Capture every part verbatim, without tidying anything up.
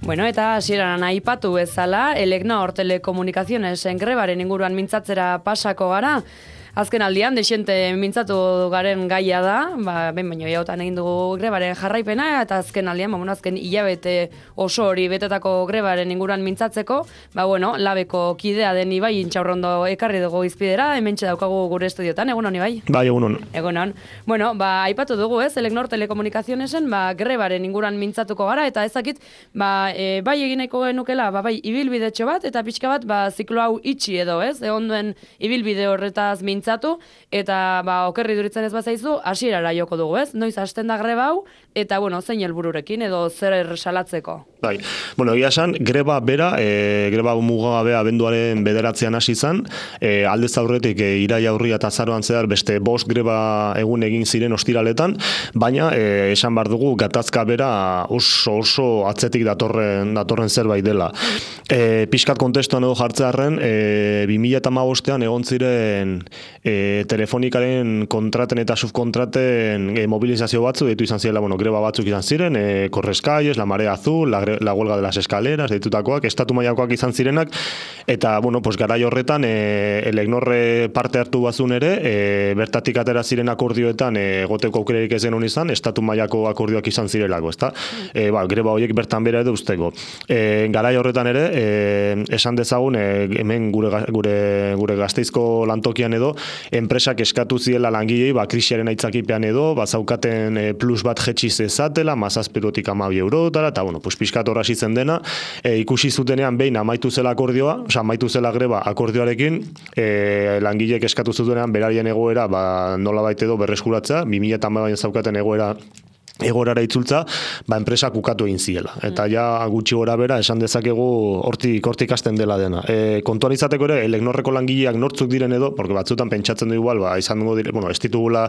Bueno, eta hasieran aipatu bezala, Elecnor Telecomunicacionesen grebaren inguruan mintzatzera pasako gara. Azken aldian, dexente mintzatu garen gaia da, ba, ben baino jautan egin dugu grebaren jarraipena, eta azken aldian, ba, bueno, azken hilabete oso hori betetako grebaren inguruan mintzatzeko, ba, bueno, labeko kidea den Ibai Intxaurrondo ekarri dugu izpidera, hementxe daukagu gure estudiotan, egunon Ibai? Bai, egunon. Egunon. Bueno, ba, aipatu dugu ez, Elecnor Telecomunicacionesen, ba, grebaren inguruan mintzatuko gara, eta ezakit, ba, e, bai egineko genukela, ba, bai, ibilbidetxo bat, eta pixka bat, ba, ziklo hau itxi edo, ez, egon duen ibilbide horretaz mintzatu, eta ba, okerri duritzen ez bazaizu, hasierara joko dugu, ez? Noiz hasten da greba hau, eta, bueno, zein helbururekin edo zer salatzeko? Bai, bueno, egia esan, greba bera, e, greba mugagabea abenduaren bederatzean hasi izan, e, aldez aurretik e, iraila aurria eta azaroan zehar beste bost greba egun egin ziren ostiraletan, baina e, esan behar dugu gatazka bera oso oso atzetik datorren, datorren zerbait dela. E, Piskat kontestuan edo jartzearen, e, bi mila hamabostean egon ziren e, telefonikaren kontraten eta subkontraten e, mobilizazio batzu, deitu izan zirela, bueno, greba batzuk izan ziren, e, Correscalles, La Marea Azul, la, la huelga de las escaleras, deitutakoak, estatu mailakoak izan zirenak, eta, bueno, pues, garai horretan, e, Elecnorre parte hartu bazun ere, e, bertatik atera ziren akordioetan, e, goteko aukererik ez genuen izan, estatu mailako akordioak izan zirelako, ezta? E, ba, greba horiek bertan bera edo usteko. E, garai horretan ere, e, esan dezagun, e, hemen gure, gure, gure Gasteizko lantokian edo, enpresak eskatu ziela langilei, ba, krisiaren aitzakipean edo, ba, zaukaten e, plus bat jetxi zezatela, mazazpirotik amabi eurotara, eta, bueno, pues, pixkat horra zitzen dena, e, ikusi zutenean behin amaitu zela akordioa, oza, amaitu zela greba akordioarekin, e, langilek eskatu zutenean berarien egoera, ba, nola baita edo berreskuratzea, bi mila hamabian zaukaten egoera egorara itzultza, ba, enpresak ukatu egin ziela. Eta ja gutxi gora bera esan dezakegu hortik hortik hasten dela dena. E, kontuan izateko ere, Elecnorreko langileak nortzuk diren edo, porque batzutan pentsatzen du igual, ba, izan dugu dire, bueno, ez ditugula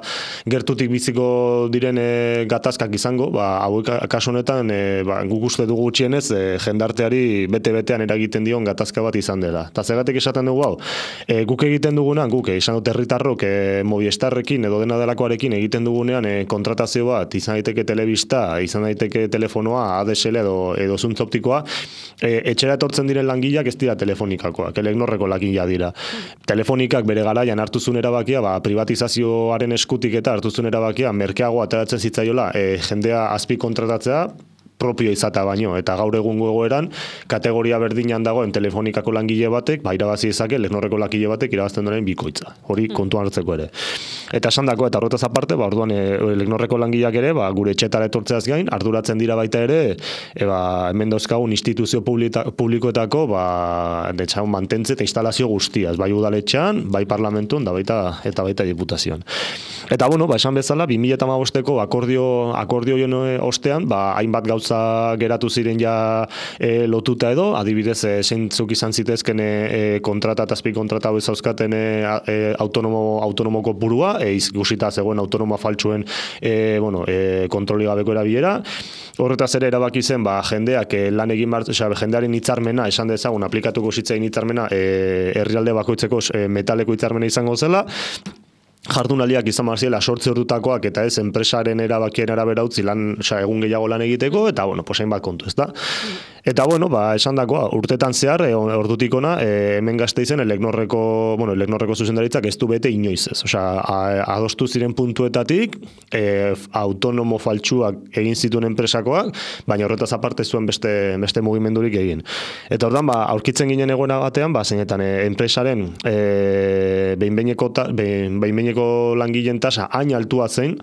gertutik biziko diren e, gatazkak izango, ba, hauek kasu honetan, e, ba, guk uste dugu gutxienez, e, jendarteari bete-betean eragiten dion gatazka bat izan dela. Eta zergatik esaten dugu hau, e, guk egiten dugunan, guk, e, izan dut herritarrok, e, Movistarrekin edo dena delakoarekin egiten dugunean e, kontratazio bat, izan daiteke telebista, izan daiteke telefonoa, A D S L edo, edo zuntz optikoa, e, etxera etortzen diren langileak ez dira telefonikakoak, Elecnorreko langilea dira. Telefonikak bere garaian hartu zuen erabakia, ba, privatizazioaren eskutik eta hartu zuen erabakia, merkeago ateratzen zitzaiola, e, jendea azpi kontratatzea, propio izata baino, eta gaur egungo egoeran kategoria berdinan dagoen telefonikako langile batek, ba, irabazi dezake Elecnorreko langile batek irabazten duen bikoitza. Hori kontuan hartzeko ere. Eta esan dako, eta horretaz aparte, ba, orduan e, Elecnorreko langileak ere, ba, gure etxetara etortzeaz gain, arduratzen dira baita ere, e, ba, hemen dauzkagun instituzio publita, publikoetako, ba, detxagun mantentze eta instalazio guztiaz, bai udaletxean, bai parlamentun, da baita, eta baita diputazioan. Eta, bueno, ba, esan bezala, bi mila hamabosteko akordio, akordio ostean, ba, hainbat gauza geratu ziren ja e, lotuta edo, adibidez e, zeintzuk izan zitezken e, kontrata eta azpi kontrata hau zauzkaten e, e, autonomo, autonomoko purua, e, izgusita zegoen autonomoa faltsuen e, bueno, e, kontroli gabeko erabilera. Horretaz ere erabaki zen, ba, jendeak e, lan egin bar, oza, jendearen hitzarmena, esan dezagun, aplikatuko zitzaien hitzarmena, e, herrialde bakoitzeko e, metaleko hitzarmena izango zela, jardunaldiak izan marziela sortze ordutakoak eta ez enpresaren erabakien arabera utzi lan, oza, egun gehiago lan egiteko, eta, bueno, posain bat kontu, ez da? Eta, bueno, ba, esan dakoa, urtetan zehar, e, ordutik ona, e, hemen Gasteizen Elecnorreko, bueno, Elecnorreko zuzendaritzak ez du bete inoiz ez. Osea, adostu ziren puntuetatik, e, autonomo faltsuak egin zituen enpresakoak, baina horretaz aparte zuen beste, beste mugimendurik egin. Eta ordan, ba, aurkitzen ginen egoera batean, ba, zeinetan, e, enpresaren e, behin-behineko behin, behin langileen tasa hain altua zen,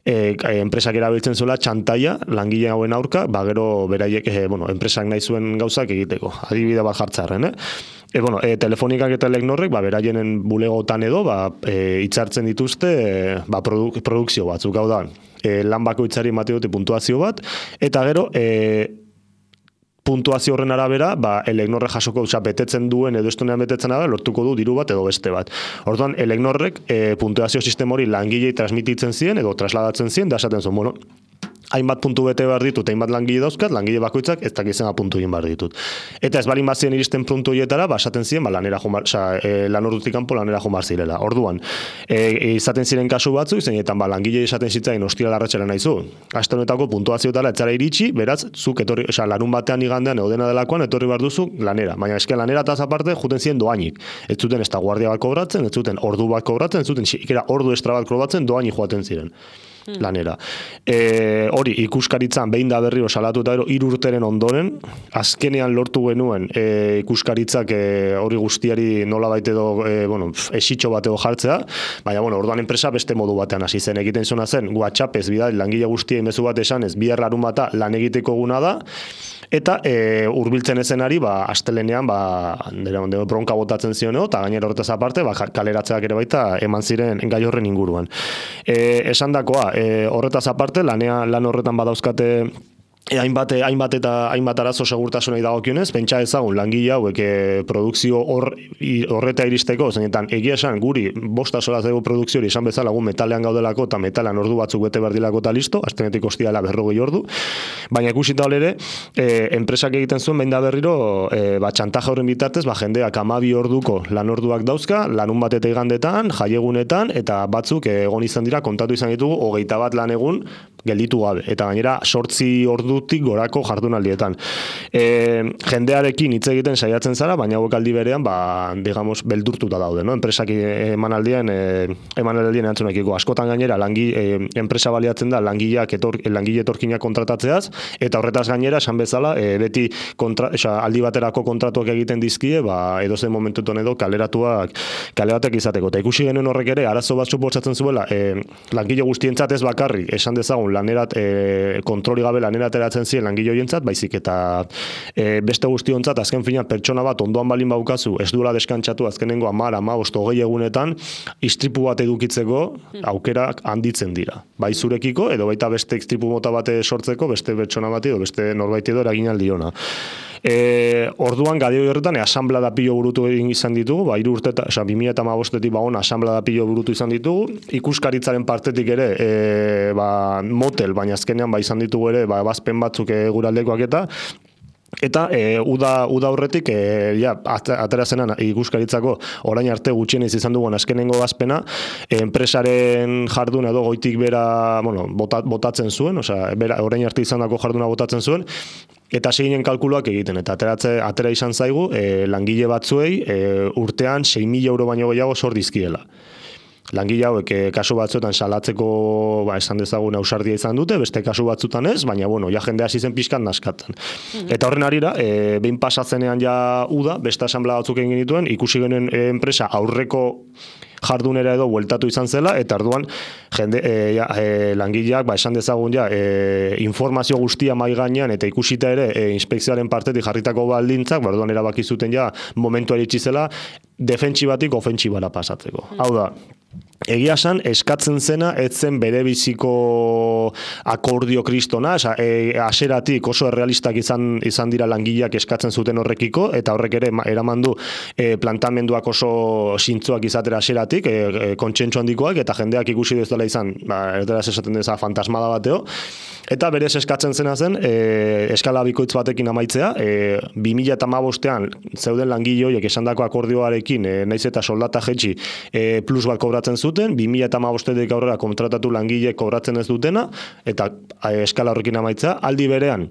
e, enpresak erabiltzen zuela txantaia langile hauen aurka, ba gero beraiek, e, bueno, enpresak nahi zuen gauzak egiteko. Adibide bat jartzarren, eh? E, bueno, e, telefonikak eta Elecnorrek, ba, beraienen bulegotan edo, ba, e, hitzartzen dituzte, e, ba, produ, produkzio batzuk, hau da, e, lan bakoitzari emate dute puntuazio bat, eta gero, e, puntuazio horren arabera, ba, Elecnorre jasoko, oza, betetzen duen edo estonean betetzen arabera, lortuko du diru bat edo beste bat. Orduan, Elecnorrek e, puntuazio sistema hori langilei transmititzen zien edo trasladatzen zien, da esaten zuen, bueno, hainbat puntu bete behar ditut, hainbat langile dauzkat, langile bakoitzak ez dakizena puntu egin behar ditut. Eta ez balin bazien iristen puntu hietara, basaten ziren, ba, lanera jumar, oza, e, lan ordutik kanpo lanera jumar zirela. Orduan, e, izaten ziren kasu batzu, zeinetan ba, langile izaten zitzain ostira larratxera nahizu. Aste honetako puntuazioetara etzara iritsi, beraz, zuk etorri, oza, larun batean igandean eudena delakoan etorri behar duzu lanera. Baina eske lanera eta aparte juten ziren doainik. Ez zuten ez da guardia bat kobratzen, ez zuten ordu bat kobratzen, ez zuten ikera ordu estra bat kobratzen, doainik joaten ziren. Lanera. E, hori, ikuskaritzan behin da berriro salatu eta hiru urteren ondoren, azkenean lortu genuen e, ikuskaritzak e, hori guztiari nola baite edo, e, bueno, esitxo bat edo jartzea, baina, bueno, orduan enpresa beste modu batean hasi zen. Egiten zona zen, WhatsAppez bidal, langile guztien mezu bat esanez, bihar larun bata lan egiteko guna da, eta e, urbiltzen ezenari, ba, astelenean, ba, dira, dira, bronka botatzen zioneo, eta gainera horretaz aparte, ba, kaleratzeak ere baita eman ziren gai horren inguruan. E, esan dakoa, e, horretaz aparte, lanea, lan horretan badauzkate E, hainbat, hainbat eta hainbat arazo segurtasunei dagokionez, pentsa ezagun langile hauek e, produkzio hor, horreta iristeko, zeinetan egia esan guri bosta solaz dugu produkzio hori esan bezala gu metalean gaudelako eta metalean ordu batzuk bete berdilako eta listo, astenetik ostiala berrogei ordu, baina ikusita ere, e, enpresak egiten zuen behin da berriro, e, ba, txantaja horren bitartez, ba, jendeak hamabi orduko lan orduak dauzka, lanun bat eta igandetan, jaiegunetan, eta batzuk e, egon izan dira, kontatu izan ditugu, hogeita bat lan egun gelditu gabe, eta gainera sortzi ordutik gorako jardunaldietan. E, jendearekin hitz egiten saiatzen zara, baina hauek aldi berean, ba, digamos, beldurtuta daude, no? Enpresak emanaldien, e, emanaldien erantzunekiko. Askotan gainera, langi, e, enpresa baliatzen da langileak etor, langile etorkinak kontratatzeaz, eta horretaz gainera, esan bezala, e, beti kontra, esa, aldi baterako kontratuak egiten dizkie, ba, edozen momentuton edo kaleratuak, kaleratek izateko. Eta ikusi genuen horrek ere, arazo bat suposatzen zuela, e, langile guztientzat ez bakarrik, esan dezagun, lanerat, e, kontroli gabe lanera ateratzen ziren langile horientzat, baizik eta e, beste guztiontzat azken finean pertsona bat ondoan balin baukazu, ez duela deskantzatu azkenengo hamar, hamabost, hogei egunetan, istripu bat edukitzeko aukerak handitzen dira. Bai zurekiko, edo baita beste istripu mota bate sortzeko, beste pertsona bat edo beste norbait edo eragin aldiona. E, orduan gadioi horretan e, asamblea pilo burutu egin izan ditugu, ba, iru urte, oza, bi mila hamabostetik ba on asamblea pilo burutu izan ditugu, ikuskaritzaren partetik ere, e, ba, motel, baina azkenean ba izan ditugu ere, ba, bazpen batzuk e, guraldekoak eta, Eta e, uda, uda horretik, e, ja, atera zenan ikuskaritzako orain arte gutxienez izan dugun azkenengo bazpena, e, enpresaren jarduna edo goitik bera, bueno, bota, botatzen zuen, osea, bera, orain arte izandako jarduna botatzen zuen, eta seginen kalkuluak egiten, eta ateratze, atera izan zaigu, e, langile batzuei e, urtean sei mila euro baino gehiago sor dizkiela. Langile hauek e, kasu batzuetan salatzeko, ba, esan dezagun ausardia izan dute, beste kasu batzutan ez, baina bueno, ja jende hasi zen pixkan naskatan. Mm-hmm. Eta horren arira, e, behin pasatzenean ja uda, beste asamblea batzuk egin genituen, ikusi genuen e, enpresa aurreko jardunera edo bueltatu izan zela, eta orduan jende, e, ja, e, langileak, ba, esan dezagun ja, e, informazio guztia mai gainean, eta ikusita ere, e, inspekzioaren partetik jarritako baldintzak, ba, orduan erabaki zuten ja, momentua iritsi zela, defentsibatik ofentsibara pasatzeko. Mm. Hau da, egia esan, eskatzen zena, ez zen bere biziko akordio kristona, esa, e, aseratik oso errealistak izan, izan dira langileak eskatzen zuten horrekiko, eta horrek ere eraman du e, plantamenduak oso zintzoak izatera aseratik, e, e, kontsentsu handikoak, eta jendeak ikusi dezala izan, ba, erderaz esaten deza fantasmada bateo, eta berez eskatzen zena zen, e, eskala bikoitz batekin amaitzea, e, bi mila hamabostean zeuden langile horiek esandako akordioarekin, e, naiz eta soldata jetxi e, plus bat kobratzen zuten, bi mila hamabostetik aurrera kontratatu langile kobratzen ez dutena, eta e, eskala horrekin amaitzea, aldi berean,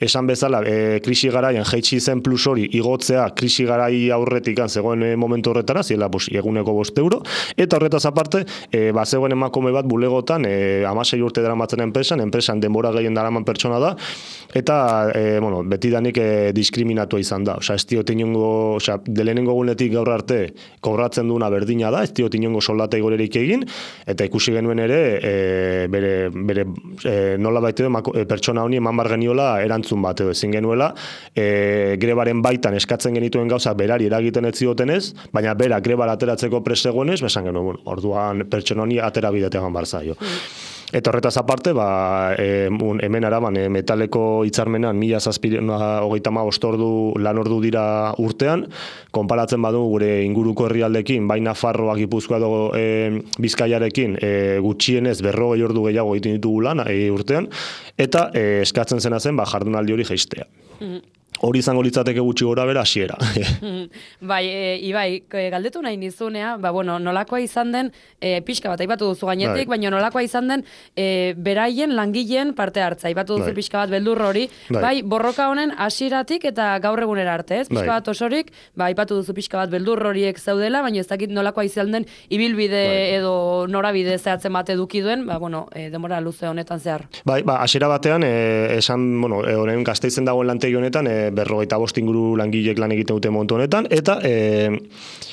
esan bezala, e, krisi garaian jetxi zen plus hori igotzea krisi garai aurretik zegoen e, momentu horretara, ziela pues, eguneko bost euro, eta horretaz aparte, e, ba, zegoen emakume bat bulegotan, e, amasei urte daramatzen enpresan, enpresan denbora gehien daraman pertsona da, eta e, bueno, betidanik e, diskriminatua izan da. Osea, ez diot inongo, osea, delenengo gunetik gaur arte kobratzen duena berdina da, ez diot inongo soldata igorerik egin, eta ikusi genuen ere, e, bere, bere e, nola baita edo pertsona honi eman bar geniola erantzun bat edo ezin genuela, e, grebaren baitan eskatzen genituen gauza berari eragiten ez ziotenez, baina bera grebara ateratzeko presegoenez, besan genuen, bueno, orduan pertsona honi atera bidetean bar zaio. Eta horretaz aparte, ba, e, hemen araban e, metaleko hitzarmenan mila hogeita hamabost ordu lan ordu dira urtean, konparatzen badu gure inguruko herrialdekin, bai Nafarroa, Gipuzkoa edo e, Bizkaiarekin e, gutxienez berrogei ordu gehiago egiten ditugu lan e, urtean, eta e, eskatzen zena zen ba, jardunaldi hori jaistea. Mm-hmm. Hori izango litzateke gutxi gora bera hasiera. Bai, e, Ibai, galdetu nahi nizunea, ba, bueno, nolakoa izan den, e, pixka bat, aipatu duzu gainetik, bai. Baina nolakoa izan den, e, beraien langileen parte hartza, aipatu duzu bai. Pixka bat beldur hori, bai. Bai, borroka honen hasieratik eta gaur egunera arte, ez? Pixka bai. Bat osorik, ba, aipatu duzu pixka bat beldur horiek zaudela, baina ez dakit nolakoa izan den, ibilbide bai. Edo norabide zehatzen bat eduki duen, ba, bueno, e, demora luze honetan zehar. Bai, ba, hasiera batean, e, esan, bueno, e, honen Gasteizen dagoen lantegi honetan, e, berrogeita bost inguru langilek lan egiten dute momentu honetan, eta e,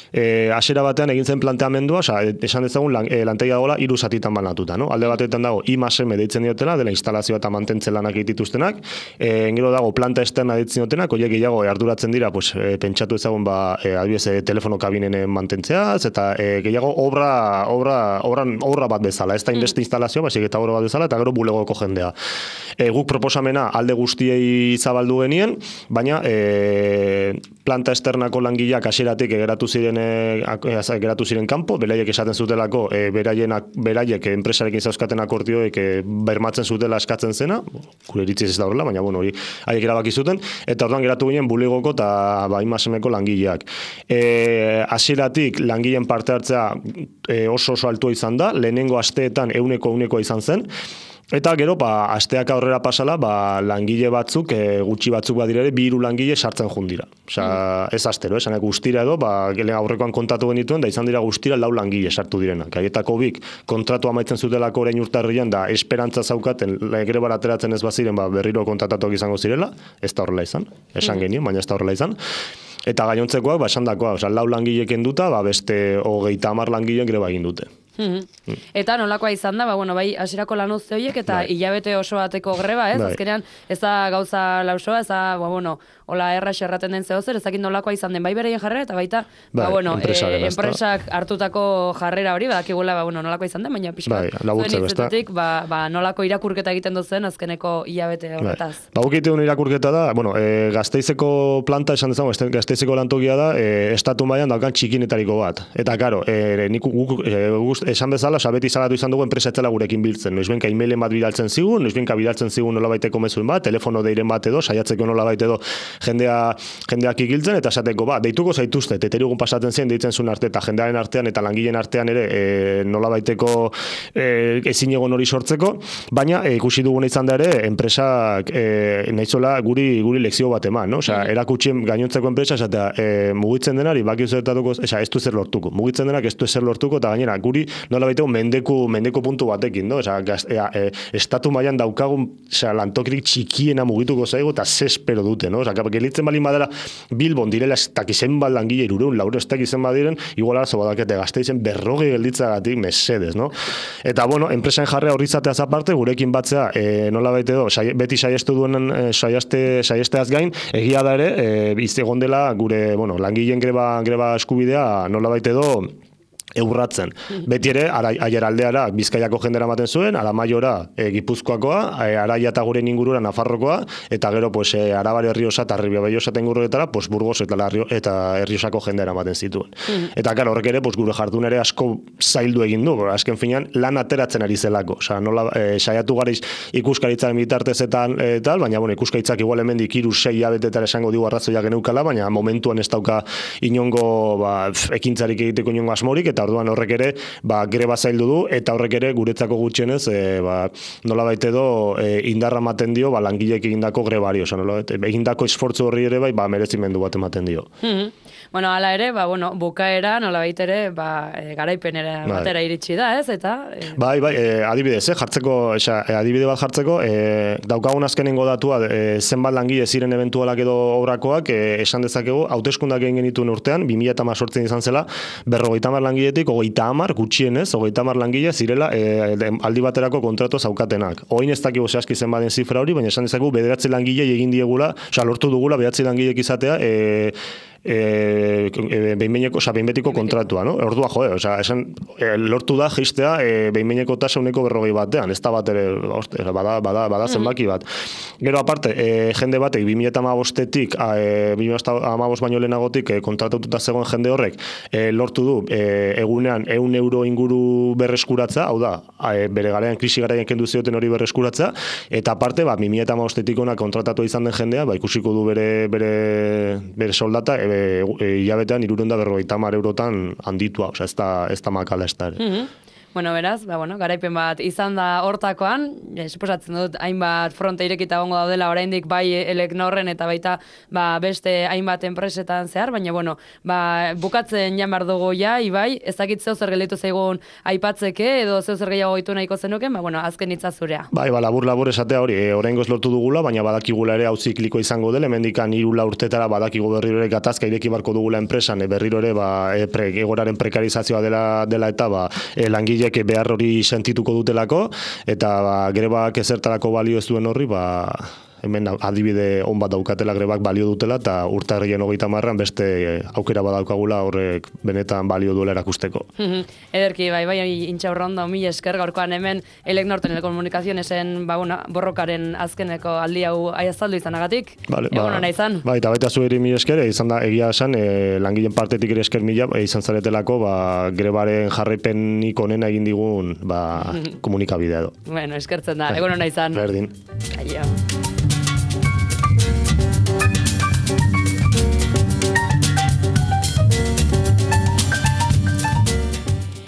e, hasiera batean egin zen planteamendua, oza, esan dezagun lan, e, lantegia dagoela hiru zatitan banatuta, no? Alde batetan dago I más M deitzen diotela, dela instalazioa eta mantentzen lanak egitituztenak, e, gero dago planta externa deitzen diotenak, horiek gehiago arduratzen dira, pues, e, pentsatu ezagun, ba, e, adibidez, e, telefono kabinen mantentzeaz, eta e, gehiago obra, obra, obra, obra bat bezala, ez da inbeste instalazioa, baizik eta obra bat bezala, eta gero bulegoko jendea. E, guk proposamena alde guztiei zabaldu genien, baina e, planta externako langileak hasieratik geratu ziren e, geratu ziren kanpo, beraiek esaten zutelako e, beraienak beraiek enpresarekin zauzkaten akordioek e, bermatzen zutela eskatzen zena, gure iritziz ez da horrela, baina bueno, hori haiek erabaki zuten, eta orduan geratu ginen bulegoko eta ba, I más M-ko langileak. E, hasieratik langileen parte hartzea e, oso oso altua izan da, lehenengo asteetan euneko euneko izan zen, eta gero, ba, asteak aurrera pasala, ba, langile batzuk, e, gutxi batzuk badirere, bi hiru langile sartzen jundira. Osea, mm. ez astero, esanek guztira edo, ba, aurrekoan kontatu genituen, da izan dira guztira lau langile sartu direnak. Haietako bik, kontratu amaitzen zutelako orain urtarrian, da esperantza zaukaten, grebar ateratzen ez baziren, ba, berriro kontratatuak izango zirela, ez da horrela izan, esan mm. genien, baina ez da horrela izan. Eta gainontzekoak, ba, esan dakoa, osea, lau langilek enduta, ba, beste hogeita hamar langileen greba egin dute. Mm-hmm. Eta nolakoa izan da, ba, bueno, bai, hasierako lanuzte horiek eta bai. Hilabete oso bateko greba, ez? Bai. Azkenean, ez da gauza lausoa, ez da, ba, bueno, hola erra xerraten den zehozer, ez dakit nolakoa izan den, bai bereien jarrera, eta baita, bai, ba, bueno, e, enpresak hartutako jarrera hori, badakigula, ba, bueno, nolakoa izan den, baina pixka, bai, zuen hitzetetik, ba, ba, nolako irakurketa egiten duzen azkeneko hilabete horretaz. Bai. Ba, gukite un irakurketa da, bueno, e, Gasteizeko planta, esan dezago, Gasteizeko lantokia da, e, estatu mailan daukan txikinetariko bat. Eta, karo, e, nik guk, e, guk, esan bezala, sabeti salatu izan dugu enpresa etzela gurekin biltzen. Noizbenka e-mailen bat bidaltzen zigun, noizbenka bidaltzen zigun nolabaiteko mezuen bat, telefono deiren bat edo, saiatzeko nolabait edo jendea, jendeak igiltzen, eta esateko, ba, deituko zaituzte, teterigun pasatzen zen, deitzen zuen arte, eta jendearen artean eta langileen artean ere e, nolabaiteko e, ezin egon hori sortzeko, baina e, ikusi duguna izan da ere, enpresak e, nahizola guri, guri lekzio bat eman, no? Osea, erakutsien gainontzeko enpresa, esatea, e, mugitzen denari, baki zertatuko, esa, ez du zer lortuko, mugitzen denak ez du zer lortuko, eta gainera, guri nola baiteko mendeku, mendeku puntu batekin, no? Osea, e, e, estatu mailan daukagun, osea, lantokirik txikiena mugituko zaigu eta zespero dute, no? Osea, gelitzen balin badela Bilbon direla ez dakizen bat langile irureun, lauro ez dakizen badiren, igual arazo badakete Gasteizen berroge gelditzagatik mesedes, no? Eta, bueno, enpresen jarrea horri izateaz aparte, gurekin batzea, e, nola baite do, sai, beti saiestu duen e, saieste, saiesteaz gain, egia da ere, e, iztegon dela gure, bueno, langileen greba, greba eskubidea, nola baite do, eurratzen. Beti ere, Aiaraldeara Bizkaiako jendera ematen zuen, Aramaiora e, Gipuzkoakoa, e, Araia eta guren ingurura Nafarrokoa, eta gero pues, e, Arabari Errioxa eta Ribabellosa eta inguruetara pues, Burgos eta, Larrio, eta Erriosako jendera ematen zituen. Mm. Eta gara, horrek ere, pues, gure jardun ere asko zaildu egin du, azken finean lan ateratzen ari zelako. Osa, nola, e, saiatu gariz ikuskaritzaren bitartez eta e, tal, baina bueno, ikuskaritzak igual hemendik hiru sei abetetara esango digu arrazoia geneukala, baina momentuan ez dauka inongo ba, ekintzarik egiteko inongo asmorik, eta orduan horrek ere ba, greba zaildu du, eta horrek ere guretzako gutxienez e, ba, nola baite do e, indarra ematen dio ba, langileek egindako grebari, oza, nola, egindako esfortzu horri ere bai, ba, merezimendu bat ematen dio. Mm-hmm. Bueno, ala ere, ba, bueno, bukaera, nola baita ere, ba, e, garaipenera bai. Batera iritsi da, ez, eta... E... Bai, bai, e, adibidez, eh, jartzeko, esa, e, adibide bat jartzeko, e, daukagun azkenengo datua, e, zenbat langile ziren eventualak edo obrakoak, e, esan dezakegu, hauteskundak egin genituen urtean, bi mila hemezortzi izan zela, berrogeita hamar langiletik, hogeita hamar, gutxienez, hogeita hamar langile zirela e, aldi baterako kontratu zaukatenak. Oin ez dakigu zehazki zenbaden zifra hori, baina esan dezakegu, bederatzi langile egin diegula, osea, lortu dugula, bederatzi langilek izatea, e, e, e, behinbeineko, oza, behinbetiko kontratua, no? Ordua, jo, oza, esan, e, lortu da geistea e, behinbeineko tasa uneko berrogei batean, ez da bat ere, oste, bada, bada, bada zenbaki bat. Gero aparte, e, jende batek, bi mila hamabostetik, e, bi mila hamabost baino lehenagotik, e, kontratatuta zegoen jende horrek, e, lortu du, e, egunean, ehun euro inguru berreskuratza, hau da, e, bere garaien, krisi garaien kendu zioten hori berreskuratza, eta aparte, ba, bi mila hamabostetik ona kontratatu izan den jendea, ba, ikusiko du bere, bere, bere soldata, e, e, hilabetean hirurehun eta berrogeita hamar eurotan handitua, osea, ez da, ez da makala ez da ere. Mm-hmm. Bueno, beraz, ba, bueno, garaipen bat izan da hortakoan, e, suposatzen dut, hainbat fronte irekita gongo daudela oraindik bai Elecnorren eta baita ba, beste hainbat enpresetan zehar, baina, bueno, ba, bukatzen jan behar dugu ja, Ibai, ez dakit zeu zer gelditu zaigun aipatzeke, edo zeu zer gehiago gaitu nahiko zenuken, ba, bueno, azken hitza zurea. Bai, ba, labur-labur esatea hori, e, oraingoz lortu dugula, baina badakigula ere hau zikliko izango dela, hemendikan hiru lau urtetara badakigu berriro ere gatazka ireki barko dugula enpresan, e, berriro ere ba, e, pre, egoraren prekarizazioa dela, dela eta ba, e, langile behar hori sentituko dutelako, eta ba, grebak ezertarako balio ez duen horri, ba, hemen adibide on bat daukatela grebak balio dutela, eta urtarrien hogeita marran beste aukera badaukagula horrek benetan balio duela erakusteko. Ederki, bai, bai, intxaurrondo, mila esker gaurkoan hemen Elecnor Telekomunikazionesen ba, una, borrokaren azkeneko aldi hau aiazaldu izanagatik. Vale, egon ba, hona izan. Bai, eta baita zuheri mila esker, izan da, egia esan, e, langileen partetik ere esker mila, e, izan zaretelako, ba, grebaren jarraipenik onena egin digun, ba, komunikabidea edo. Bueno, eskertzen da, egon hona izan. Berdin. Aio.